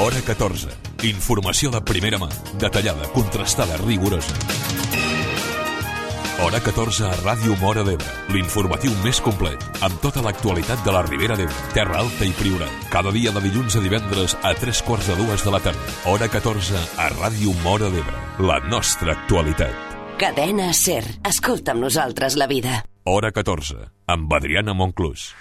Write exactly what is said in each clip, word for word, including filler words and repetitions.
Hora catorze. Informació de primera mà, detallada, contrastada, rigorosa. Hora catorze a Ràdio Móra d'Ebre, l'informatiu més complet, amb tota l'actualitat de la Ribera d'Ebre, Terra Alta i Priorat. Cada dia de dilluns a divendres a tres quarts de dues de la tarda. Hora catorze a Ràdio Móra d'Ebre, la nostra actualitat. Cadena SER. Escolta amb nosaltres la vida. Hora catorze, amb Adriana Monclús.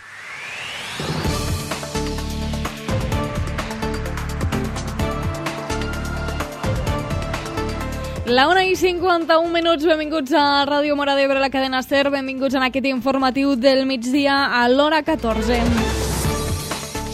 La una i cinquanta-un minuts, benvinguts a Ràdio Móra d'Ebre, la cadena SER, benvinguts en aquest informatiu del migdia a l'hora catorze.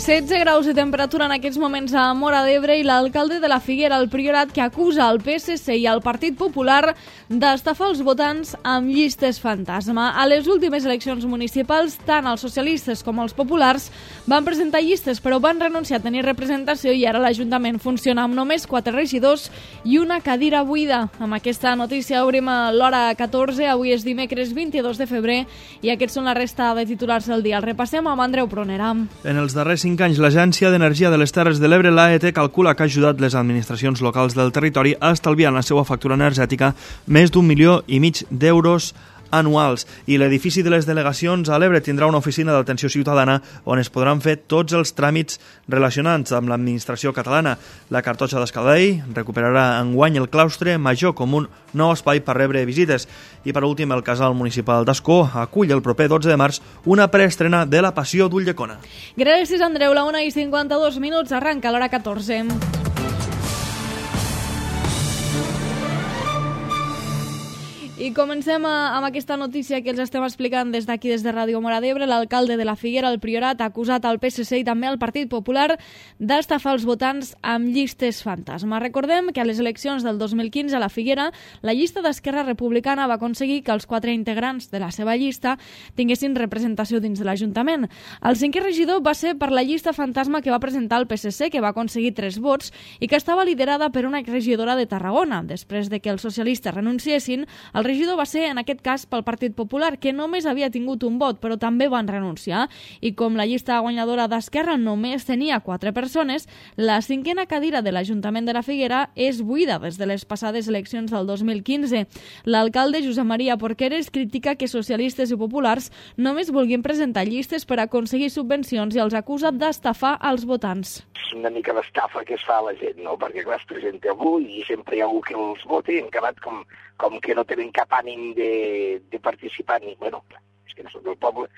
setze graus de temperatura en aquests moments a Móra d'Ebre i l'alcalde de la Figuera, el Priorat, que acusa el P S C i el Partit Popular d'estafar els votants amb llistes fantasma. A les últimes eleccions municipals, tant els socialistes com els populars van presentar llistes, però van renunciar a tenir representació i ara l'Ajuntament funciona amb només quatre regidors i una cadira buida. Amb aquesta notícia obrim a l'hora catorze, avui és dimecres vint-i-dos de febrer i aquests són la resta de titulars del dia. El repassem amb Andreu Pronera. En els darrers cinc anys, l'Agència d'Energia de les Terres de l'Ebre, l'A E T, calcula que ha ajudat les administracions locals del territori a estalviar en la seva factura energètica més d'un milió i mig d'euros anuals. I l'edifici de les delegacions a l'Ebre tindrà una oficina d'atenció ciutadana on es podran fer tots els tràmits relacionats amb l'administració catalana. La Cartoixa d'Escaldell recuperarà enguany el claustre major com un nou espai per rebre visites. I per últim, el casal municipal d'Ascó acull el proper dotze de març una preestrena de La Passió d'Ulldecona. Gràcies, Andreu. La una i cinquanta-dos minuts, arranca l'hora catorze. I comencem amb aquesta notícia que els estem explicant des d'aquí, des de Ràdio Móra d'Ebre. L'alcalde de la Figuera, el Priorat, ha acusat al P S C i també al Partit Popular d'estafar els votants amb llistes fantasma. Recordem que a les eleccions del dos mil quinze a la Figuera, la llista d'Esquerra Republicana va aconseguir que els quatre integrants de la seva llista tinguessin representació dins de l'Ajuntament. El cinquè regidor va ser per la llista fantasma que va presentar el P S C, que va aconseguir tres vots i que estava liderada per una exregidora de Tarragona. Després de que els socialistes renunciessin, el El regidor va ser, en aquest cas, pel Partit Popular, que només havia tingut un vot, però també van renunciar. I com la llista guanyadora d'Esquerra només tenia quatre persones, la cinquena cadira de l'Ajuntament de la Figuera és buida des de les passades eleccions del dos mil quinze. L'alcalde, Josep Maria Porqueres, critica que socialistes i populars només vulguin presentar llistes per aconseguir subvencions i els acusa d'estafar els votants. És una mica l'estafa que es fa a la gent, no? Perquè clar, es presenta algú i sempre hi ha algú que els voti i han acabat com, com que no tenen cap ànim de, de participar ni... Bueno, clar, és que no són del poble,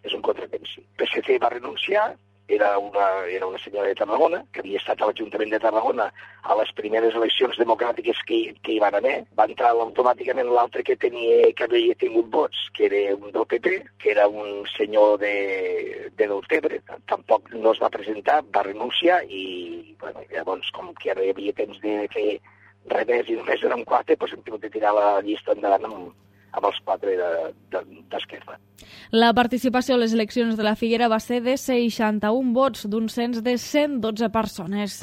és un contratemps. P S C va renunciar, era una, era una senyora de Tarragona, que havia estat a l'Ajuntament de Tarragona a les primeres eleccions democràtiques que, que hi van haver. Va entrar automàticament l'altre que tenia que havia tingut vots, que era un del P P, que era un senyor de, de Deltebre. Tampoc no es va presentar, va renunciar i, bueno, llavors, com que ara hi havia temps de fer res més i només érem quatre, doncs hem tingut de tirar la llista endavant amb, amb els quatre d'Esquerra. La participació a les eleccions de la Figuera va ser de seixanta-un vots d'un cens de cent dotze persones.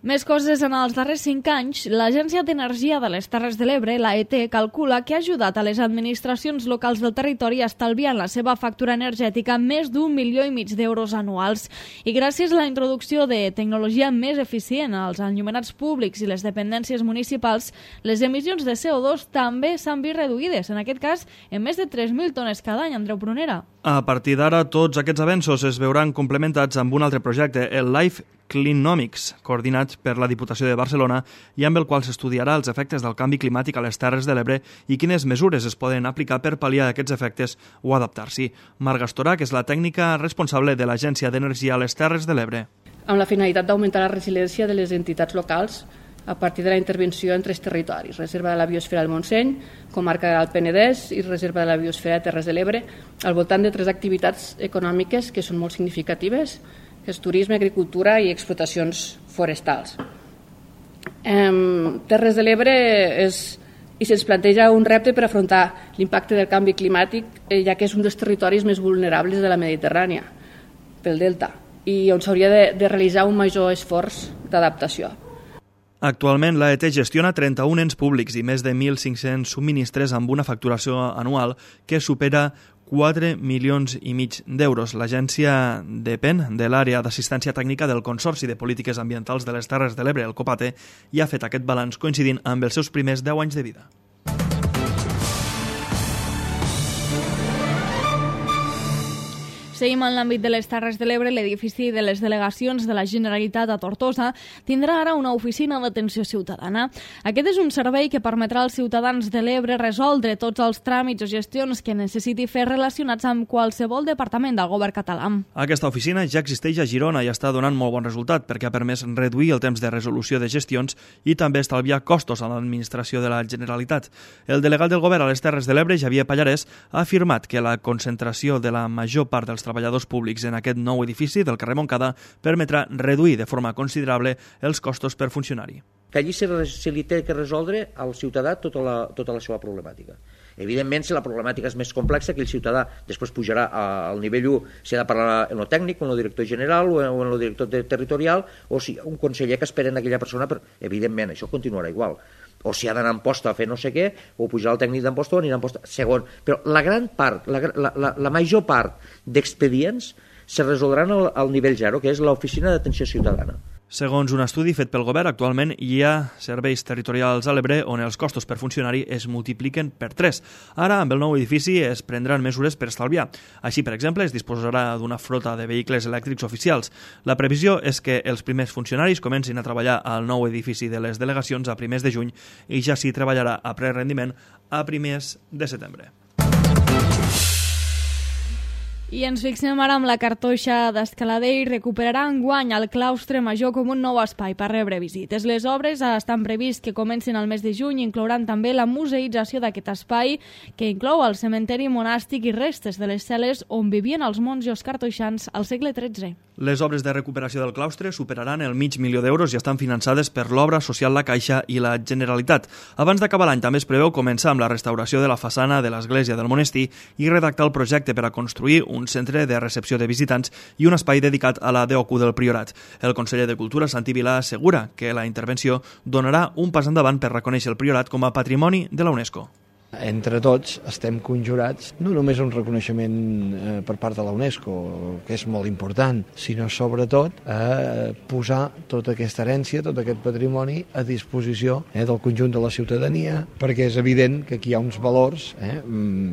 Més coses. En els darrers cinc anys, l'Agència d'Energia de les Terres de l'Ebre, l'A E T, calcula que ha ajudat a les administracions locals del territori a estalviar en la seva factura energètica més d'un milió i mig d'euros anuals. I gràcies a la introducció de tecnologia més eficient als enllumenats públics i les dependències municipals, les emissions de C O dos també s'han vist reduïdes, en aquest cas en més de tres mil tones cada any. Andreu Pronera. A partir d'ara, tots aquests avenços es veuran complementats amb un altre projecte, el Life Cleanomics, coordinat per la Diputació de Barcelona i amb el qual s'estudiarà els efectes del canvi climàtic a les Terres de l'Ebre i quines mesures es poden aplicar per pal·liar aquests efectes o adaptar-s'hi. Marga Estorà, que és la tècnica responsable de l'Agència d'Energia a les Terres de l'Ebre. Amb la finalitat d'augmentar la resiliència de les entitats locals a partir de la intervenció en tres territoris: Reserva de la Biosfera del Montseny, Comarca del Penedès i Reserva de la Biosfera de Terres de l'Ebre, al voltant de tres activitats econòmiques que són molt significatives, que és turisme, agricultura i explotacions forestals. Eh, Terres de l'Ebre és, i se'ns planteja un repte per afrontar l'impacte del canvi climàtic, eh, ja que és un dels territoris més vulnerables de la Mediterrània, pel delta, i on s'hauria de, de realitzar un major esforç d'adaptació. Actualment, l'A E T gestiona trenta-un ens públics i més de mil cinc-cents subministres amb una facturació anual que supera quatre milions i mig d'euros. L'agència depèn de l'àrea d'assistència tècnica del Consorci de Polítiques Ambientals de les Terres de l'Ebre, el COPATE, i ha fet aquest balanç coincidint amb els seus primers deu anys de vida. Seguim en l'àmbit de les Terres de l'Ebre. L'edifici de les delegacions de la Generalitat a Tortosa tindrà ara una oficina d'atenció ciutadana. Aquest és un servei que permetrà als ciutadans de l'Ebre resoldre tots els tràmits o gestions que necessiti fer relacionats amb qualsevol departament del govern català. Aquesta oficina ja existeix a Girona i està donant molt bon resultat perquè ha permès reduir el temps de resolució de gestions i també estalviar costos a l'administració de la Generalitat. El delegat del govern a les Terres de l'Ebre, Xavier Pallarès, ha afirmat que la concentració de la major part dels treballadors públics en aquest nou edifici del carrer Montcada permetrà reduir de forma considerable els costos per funcionari. Que allí se, se li té que resoldre al ciutadà tota la, tota la seva problemàtica. Evidentment, si la problemàtica és més complexa, que el ciutadà després pujarà al nivell u, si ha de parlar en el tècnic, en el director general o en el director territorial, o si un conseller que espera en aquella persona, però evidentment això continuarà igual. O si ha d'anar en posta a fer no sé què, o pujar al tècnic d'emposta o anirà en posta. Segon, però la gran part, la, la, la, la major part d'expedients se resoldran al, al nivell zero, que és l'oficina d'atenció ciutadana. Segons un estudi fet pel govern, actualment hi ha serveis territorials a l'Ebre on els costos per funcionari es multipliquen per tres. Ara, amb el nou edifici, es prendran mesures per estalviar. Així, per exemple, es disposarà d'una flota de vehicles elèctrics oficials. La previsió és que els primers funcionaris comencin a treballar al nou edifici de les delegacions a primers de juny i ja s'hi treballarà a ple rendiment a primers de setembre. I ens fixem ara amb la cartoixa d'Escaladell. Recuperarà enguany el claustre major com un nou espai per rebre visites. Les obres estan previst que comencin al mes de juny i inclouran també la museïtzació d'aquest espai, que inclou el cementeri monàstic i restes de les cel·les on vivien els monjos cartoixans al segle tretze. Les obres de recuperació del claustre superaran el mig milió d'euros i estan finançades per l'obra social La Caixa i la Generalitat. Abans d'acabar l'any també es preveu començar amb la restauració de la façana de l'església del monestir i redactar el projecte per a construir un un centre de recepció de visitants i un espai dedicat a la D O Q del Priorat. El conseller de Cultura, Santi Vilà, assegura que la intervenció donarà un pas endavant per reconèixer el Priorat com a patrimoni de la UNESCO. Entre tots estem conjurats no només un reconeixement eh, per part de la UNESCO, que és molt important, sinó sobretot a posar tota aquesta herència, tot aquest patrimoni a disposició eh, del conjunt de la ciutadania, perquè és evident que aquí hi ha uns valors eh,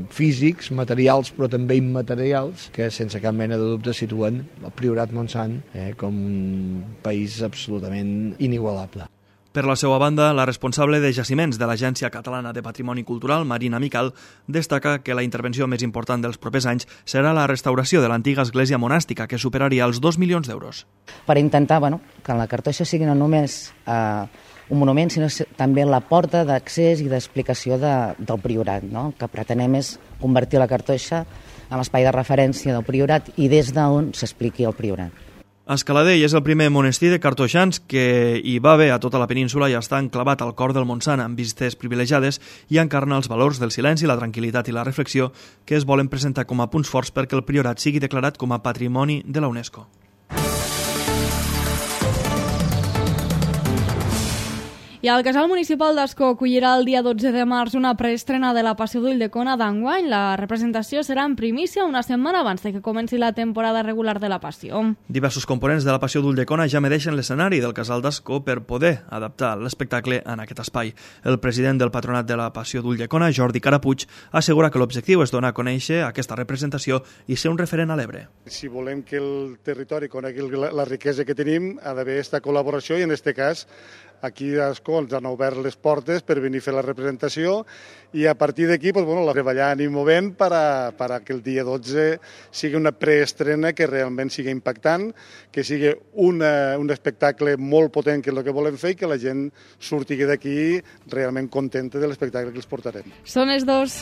físics, materials, però també immaterials, que sense cap mena de dubte situen el Priorat Montsant eh, com un país absolutament inigualable. Per la seva banda, la responsable de jaciments de l'Agència Catalana de Patrimoni Cultural, Marina Mical, destaca que la intervenció més important dels propers anys serà la restauració de l'antiga església monàstica, que superaria els dos milions d'euros. Per intentar bueno, que la cartoixa sigui no només eh, un monument, sinó també la porta d'accés i d'explicació de, del Priorat. No? El que pretenem és convertir la cartoixa en l'espai de referència del Priorat i des d'on s'expliqui el Priorat. Escaladell és el primer monestir de cartoixans que hi va haver a tota la península i està enclavat al cor del Montsant amb vistes privilegiades i encarna els valors del silenci, la tranquil·litat i la reflexió que es volen presentar com a punts forts perquè el Priorat sigui declarat com a patrimoni de la UNESCO. I el Casal Municipal d'Ascó acollirà el dia dotze de març una preestrena de la Passió d'Ulldecona d'enguany. La representació serà en primícia una setmana abans de que comenci la temporada regular de la Passió. Diversos components de la Passió d'Ulldecona ja medeixen l'escenari del Casal d'Ascó per poder adaptar l'espectacle en aquest espai. El president del Patronat de la Passió d'Ulldecona, Jordi Carapuig, assegura que l'objectiu és donar a conèixer aquesta representació i ser un referent a l'Ebre. Si volem que el territori conegui la riquesa que tenim, ha d'haver aquesta col·laboració i en aquest cas aquí a Ascó ens han obert les portes per venir a fer la representació i a partir d'aquí pues, bueno, treballant i movent per a, per a que el dia dotze sigui una preestrena que realment sigui impactant, que sigui una, un espectacle molt potent que és el que volem fer i que la gent surti d'aquí realment contenta de l'espectacle que els portarem. Són els dos.